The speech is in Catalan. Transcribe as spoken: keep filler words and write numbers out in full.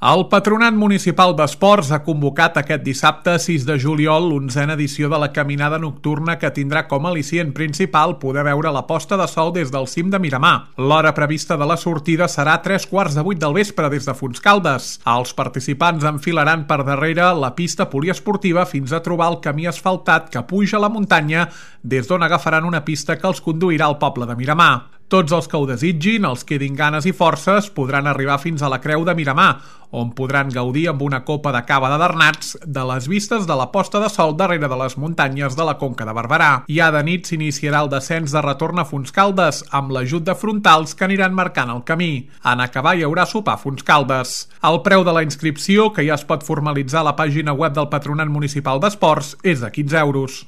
El Patronat Municipal d'Esports ha convocat aquest dissabte sis de juliol l'onzena edició de la caminada nocturna que tindrà com a al·licient principal poder veure la posta de sol des del cim de Miramar. L'hora prevista de la sortida serà tres quarts de vuit del vespre des de Fontscaldes. Els participants enfilaran per darrere la pista poliesportiva fins a trobar el camí asfaltat que puja a la muntanya, des d'on agafaran una pista que els conduirà al poble de Miramar. Tots els que ho desitgin, els que tinguin ganes i forces, podran arribar fins a la Creu de Miramar, on podran gaudir amb una copa de cava de Bernats de les vistes de la posta de sol darrere de les muntanyes de la Conca de Barberà. Ja de nit s'iniciarà el descens de retorn a Fontscaldes, amb l'ajut de frontals que aniran marcant el camí. En acabar hi haurà sopar a Fontscaldes. El preu de la inscripció, que ja es pot formalitzar a la pàgina web del Patronat Municipal d'Esports, és de quinze euros.